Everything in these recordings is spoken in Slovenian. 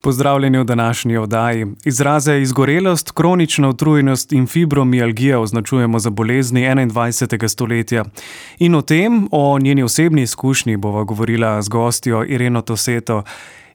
Pozdravljeni v današnji oddaji. Izraze izgorelost, kronična utrujenost in fibromialgija označujemo za bolezni 21. stoletja. In o tem, o njeni osebni izkušnji bova govorila z gostjo Ireno Toseto.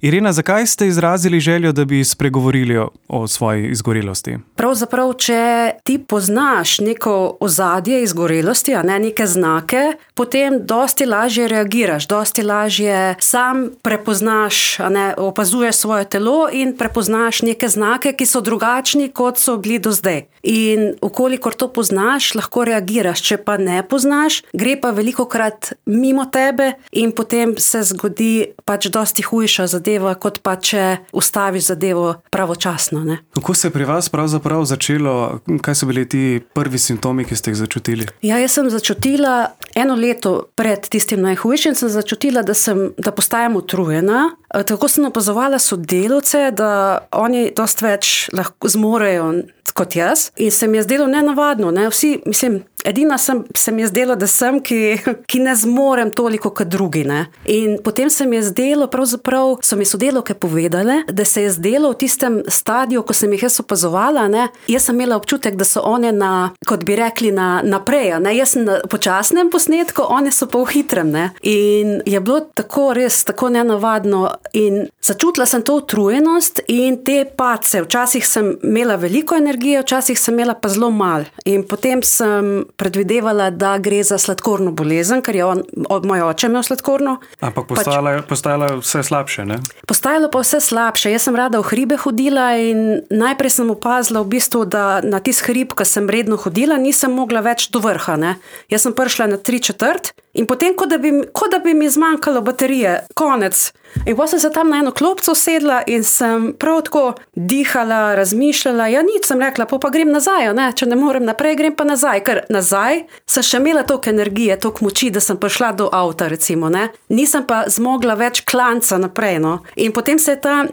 Irena, zakaj ste izrazili željo, da bi spregovorili o svoji izgorelosti? Pravzaprav, če ti poznaš neko ozadje izgorelosti, neke znake, potem dosti lažje reagiraš, dosti lažje sam prepoznaš, opazuješ svoje telo in prepoznaš neke znake, ki so drugačni, kot so bili do zdaj. In ukolikor to poznaš, lahko reagiraš, če pa ne poznaš, gre pa velikokrat mimo tebe in potem se zgodi pač dosti hujša zadeva, kot pa če ustaviš zadevo pravočasno. Ne? Kako se je pri vas pravzaprav začelo? Kaj so bili ti prvi simptomi, ki ste jih začutili? Ja, jaz sem začutila 1 leto pred tistim najhujšim, sem začutila, da postajam utrujena. Tako sem opazovala sodelavce, da oni dosti več lahko zmorejo kot jaz. In se mi je zdelo nenavadno. Ne? Edina se mi je zdelo, da sem, ki ne zmorem toliko kot drugi. Ne? In potem se mi je zdelo, pravzaprav so mi sodelavke povedale, da se je zdelo v tistem stadiju, ko sem jih jaz opazovala, jaz sem imela občutek, da so one kot bi rekli, naprej. Jaz sem na počasnem posnetku, one so pa v hitrem. Ne? In je bilo tako res, tako nenavadno. In začutila sem to utrujenost in te padce. Včasih sem imela veliko energije, včasih sem imela pa zelo malo. In potem sem predvidevala, da gre za sladkorno bolezen, ker je moj oče imel sladkorno. Ampak postajalo vse slabše, ne? Postajalo pa vse slabše. Jaz sem rada v hribe hodila in najprej sem opazila v bistvu, da na tisti hrib, ko sem redno hodila, nisem mogla več do vrha. Ne? Jaz sem prišla na 3/4 in potem, kot da bi mi zmanjkalo baterije, konec. In potem sem se tam na eno klopco sedla in sem prav tako dihala, razmišljala. Ja, nič sem rekla, pa grem nazaj, ne? Če ne morem naprej, grem pa nazaj. Ker nazaj sem še imela toliko energije, toliko moči, da sem prišla do avta, recimo. Ne? Nisem pa zmogla več klanca naprej. No? In potem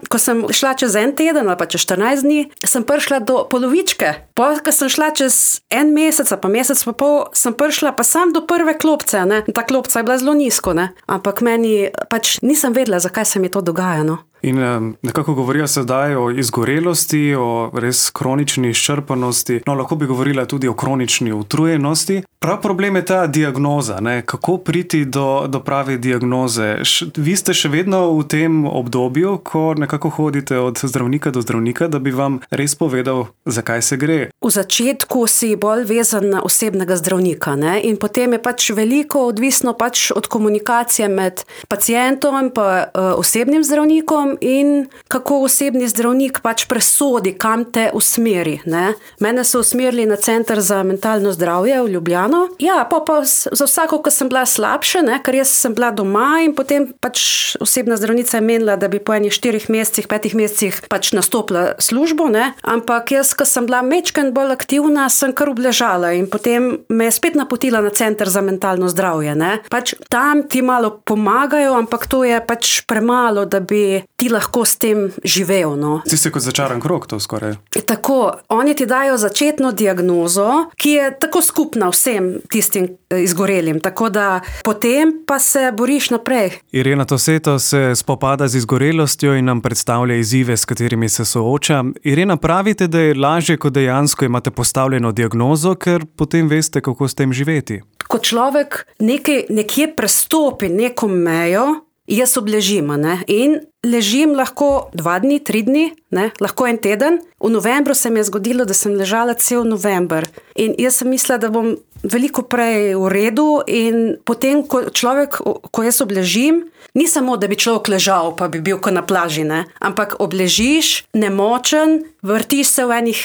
ko sem šla čez 1 teden ali pa čez 14 dni, sem prišla do polovičke. Ko sem šla čez 1 mesec, pa mesec pa pol, sem prišla pa sam do prve klopce. Ne? Ta klopca je bila zelo nizko, ne? Ampak meni pač nisem vedela, zakaj se mi to dogaja. No? In nekako govorijo sedaj o izgorelosti, o res kronični izčrpanosti, lahko bi govorila tudi o kronični utrujenosti. Prav problem je ta diagnoza, ne? Kako priti do prave diagnoze. Vi ste še vedno v tem obdobju, ko nekako hodite od zdravnika do zdravnika, da bi vam res povedal, zakaj se gre. V začetku si bolj vezan na osebnega zdravnika, ne? In potem je pač veliko odvisno pač od komunikacije med pacientom in osebnim zdravnikom in kako osebni zdravnik pač presodi, kam te usmeri. Ne? Mene so usmerili na Center za mentalno zdravje v Ljubljano. Ja, pa za vsako, ko sem bila slabša, ne? Ker jaz sem bila doma in potem pač osebna zdravnica je menila, da bi po 4 mesecih, 5 mesecih pač nastopila službo, ne? Ampak jaz, ko sem bila majčkeno bolj aktivna, sem kar obležala in potem me je spet napotila na Center za mentalno zdravje. Ne? Pač tam ti malo pomagajo, ampak to je pač premalo, da bi ti lahko s tem živel. No. Ti si kot začaran krog, to skoraj. Tako, oni ti dajo začetno diagnozo, ki je tako skupna vsem tistim izgorelim, tako da potem pa se boriš naprej. Irena Toseto se spopada z izgorelostjo in nam predstavlja izzive, s katerimi se sooča. Irena, pravite, da je lažje, ko dejansko imate postavljeno diagnozo, ker potem veste, kako s tem živeti. Ko človek nekje prestopi neko mejo, jaz obležim, ne? In ležim lahko 2 dni, 3 dni, ne? Lahko 1 teden. V novembru se mi je zgodilo, da sem ležala cel november. In jaz sem mislila, da bom veliko prej v redu in potem, ko jaz obležim, ni samo, da bi človek ležal, pa bi bil kot na plaži, ne? Ampak obležiš, nemočen,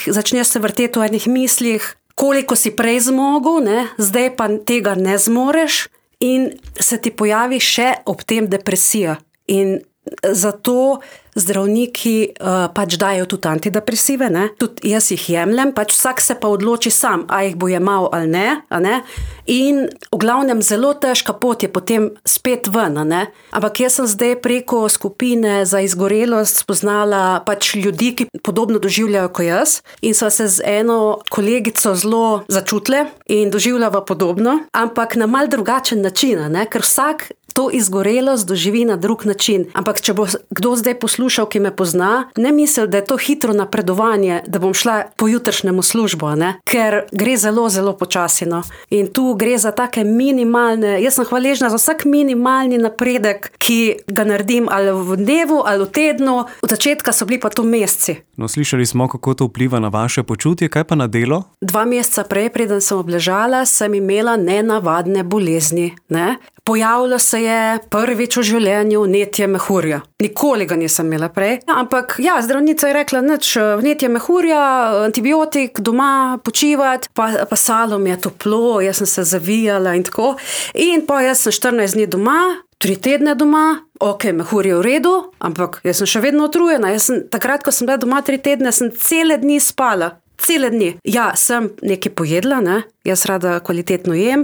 začneš se vrteti v enih mislih, koliko si prej zmogel, ne? Zdaj pa tega ne zmoreš. In se ti pojavi še ob tem depresija. In zato zdravniki pač dajo tudi antidepresive, ne? Tudi jaz jih jemljem, pač vsak se pa odloči sam, a jih bo jemal ali ne? In v glavnem zelo težka pot je potem spet ven, ne? Ampak jaz sem zdaj preko skupine za izgorelost spoznala pač ljudi, ki podobno doživljajo kot jaz in so se z eno kolegico zelo začutile in doživljava podobno, ampak na mal drugačen način, ne? Ker vsak to izgorelost doživi na drug način. Ampak če bo kdo zdaj poslušal poslušal, ki me pozna, ne misli, da je to hitro napredovanje, da bom šla po jutrišnjemu službo, ne? Ker gre zelo, zelo počasino. In tu gre za take minimalne, jaz sem hvaležna za vsak minimalni napredek, ki ga naredim ali v dnevu ali v tednu. Od začetka so bili pa to meseci. No, slišali smo, kako to vpliva na vaše počutje, kaj pa na delo? 2 meseca prej, preden sem obležala, sem imela nenavadne bolezni. Ne? Pojavilo se je prvič v življenju vnetje mehurja. Nikoli ga nisem imela prej. Ampak ja, zdravnica je rekla, nič, vnetje mehurja, antibiotik, doma počivati, pa salom je toplo, jaz sem se zavijala in tako. In pa jaz sem 14 dni doma, 3 tedne doma, ok, mehur je v redu, ampak jaz sem še vedno utrujena. Takrat, ko sem bila doma 3 tedne, sem cele dni spala. Cele dni. Ja, sem nekaj pojedla, ne? Jaz rada kvalitetno jem,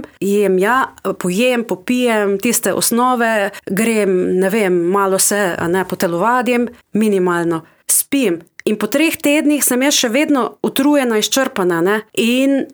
pojem, popijem tiste osnove, grem, ne vem, malo se, potelovadim, minimalno. Spim. In po 3 tednih sem jaz še vedno utrujena, izčrpana, ne? In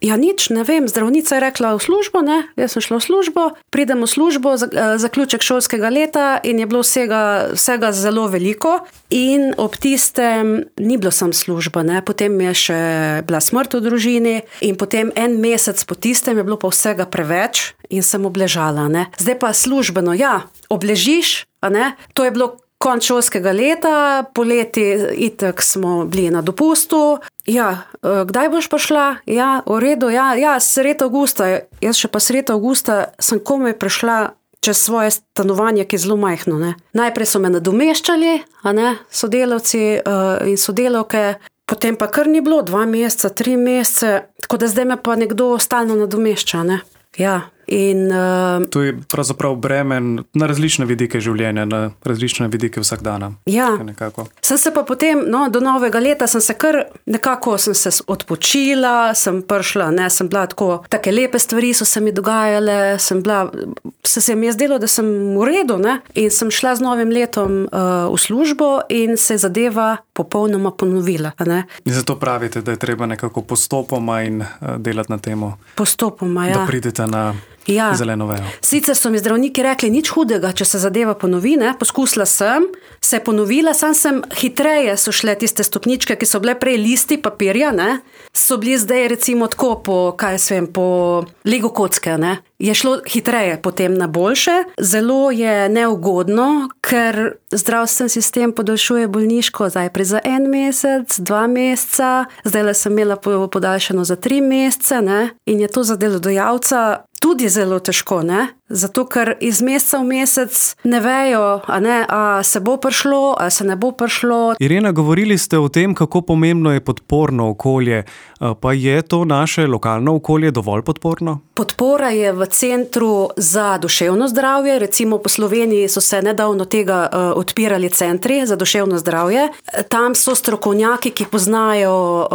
ja, nič, ne vem, zdravnica je rekla v službo, ne, jaz sem šla v službo, pridem v službo, zaključek šolskega leta in je bilo vsega zelo veliko in ob tistem ni bilo sam služba, ne, potem je še bila smrt v družini in potem 1 mesec po tistem je bilo pa vsega preveč in sem obležala, ne. Zdaj pa službeno, ja, obležiš, to je bilo konec šolskega leta, poleti itak smo bili na dopustu. Ja, kdaj boš prišla? Ja, v redu, ja, sredi avgusta. Jaz še pa sredi avgusta sem komaj prišla čez svoje stanovanje, ki je zelo majhno, ne. Najprej so me nadomeščali, sodelavci in sodelavke, potem pa kar ni bilo 2 meseca, 3 mesece, tako da zdaj me pa nekdo stalno nadomešča, ne. Ja. In to je pravzaprav bremen na različne vidike življenja, na različne vidike vsakdana. Ja, sem se pa potem, do novega leta sem se odpočila, sem prišla, sem bila tako, take lepe stvari so se mi dogajale, se mi je zdelo, da sem v redu, ne, in sem šla z novim letom v službo in se zadeva popolnoma ponovila, ne. In zato pravite, da je treba nekako postopoma in delati na temo. Postopoma, ja. Da pridete na zeleno vejo. Sicer so mi zdravniki rekli, nič hudega, če se zadeva ponovi, ne, poskusila sem, se je ponovila, sem hitreje so šle tiste stopničke, ki so bile prej listi papirja, ne, so bili zdaj recimo tako po Lego kocke, ne. Je šlo hitreje potem na boljše. Zelo je neugodno, ker zdravstveni sistem podaljšuje bolniško najprej za 1 mesec, 2 meseca, zdaj sem imela podaljšano za 3 mesece, ne, in je to za delodajalca tudi zelo težko, ne? Zato, ker iz meseca v mesec ne vejo, a se bo prišlo, a se ne bo prišlo. Irena, govorili ste o tem, kako pomembno je podporno okolje, pa je to naše lokalno okolje dovolj podporno? Podpora je v Centru za duševno zdravje, recimo po Sloveniji so se nedavno tega odpirali centri za duševno zdravje. Tam so strokovnjaki, ki poznajo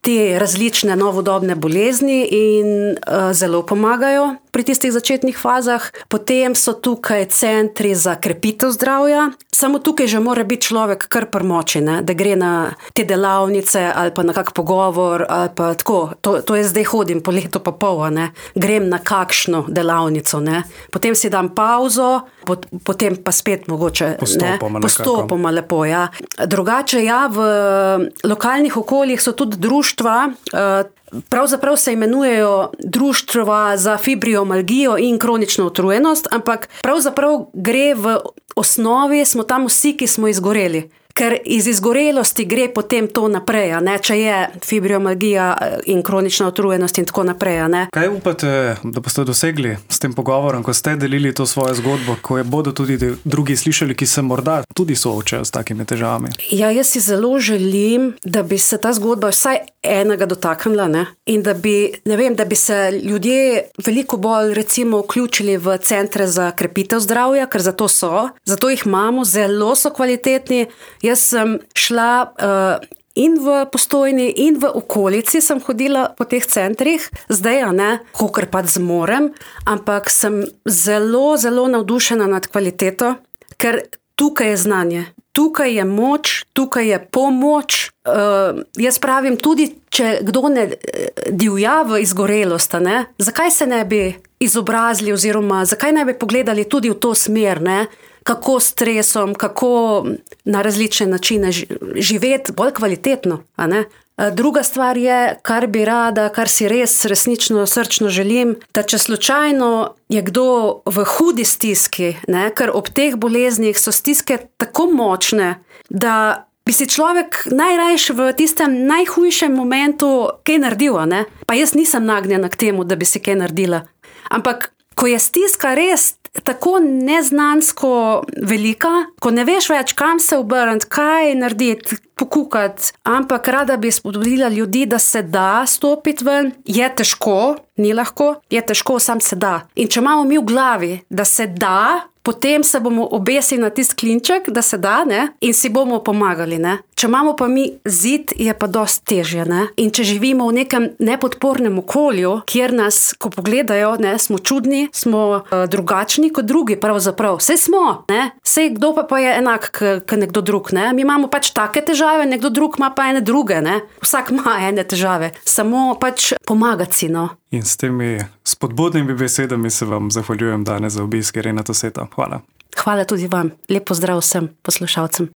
te različne novodobne bolezni in zelo pomagajo pri tistih začetnih fazah. Potem so tukaj centri za krepitev zdravja. Samo tukaj že mora biti človek kar pri moči, ne? Da gre na te delavnice ali pa na kak pogovor ali pa tako. To jaz zdaj hodim po letu pa pol, ne? Grem na kakšno delavnico, ne? Potem si dam pauzo, potem pa spet mogoče postopoma lepo, ja. Drugače, ja, v lokalnih okoljih so tudi društva, pravzaprav se imenujejo društva za fibromialgijo in kronično utrujenost, ampak pravzaprav gre v osnovi, smo tam vsi, ki smo izgoreli. Ker iz izgorelosti gre potem to naprej, ne? Če je fibromialgija in kronična utrujenost in tako naprej. Ne? Kaj upate, da boste dosegli s tem pogovorom, ko ste delili to svojo zgodbo, ko je bodo tudi drugi slišali, ki se morda tudi soočajo s takimi težavami? Ja, jaz si zelo želim, da bi se ta zgodba vsaj enega dotaknila, ne? In da bi, da bi se ljudje veliko bolj recimo vključili v centre za krepitev zdravja, ker zato jih imamo, zelo so kvalitetni. Jaz sem šla in v Postojni in v okolici sem hodila po teh centrih, zdaj, kolikor pač zmorem, ampak sem zelo, zelo navdušena nad kvaliteto, ker tukaj je znanje, tukaj je moč, tukaj je pomoč. Jaz pravim, tudi če kdo ne divja v izgorelost, zakaj se ne bi izobrazili oziroma zakaj ne bi pogledali tudi v to smer, ne? kako s stresom, kako na različne načine živeti bolj kvalitetno, a ne? Druga stvar je, kar bi rada, kar si resnično srčno želim, da če slučajno je kdo v hudi stiski, ne, ker ob teh boleznih so stiske tako močne, da bi si človek najrajši v tistem najhujšem momentu kaj naredil, ne? Pa jaz nisem nagnjena k temu, da bi si kaj naredila. Ampak, ko je stiska res tako neznansko velika, ko ne veš več, kam se obrniti, kaj narediti, pokukati, ampak rada bi spodbudila ljudi, da se da stopiti ven, je težko, ni lahko, je težko, sam se da. In če imamo mi v glavi, da se da, potem se bomo obesili na tisti klinček, da se da, ne? In si bomo pomagali, ne? Če imamo pa mi zid, je pa dosti težje, ne? In če živimo v nekem nepodpornem okolju, kjer nas, ko pogledajo, ne, smo čudni, smo drugačni kot drugi, pravzaprav. Saj smo, ne? Saj kdo pa je enak k nekdo drug, ne? Mi imamo pač take težave, nekdo drug ima pa ene druge, ne? Vsak ima ene težave, samo pač pomagati si, no. In s temi spodbudnimi besedami se vam zahvaljujem danes za obisk, Irena Toseta. Hvala. Hvala tudi vam. Lep pozdrav vsem poslušalcem.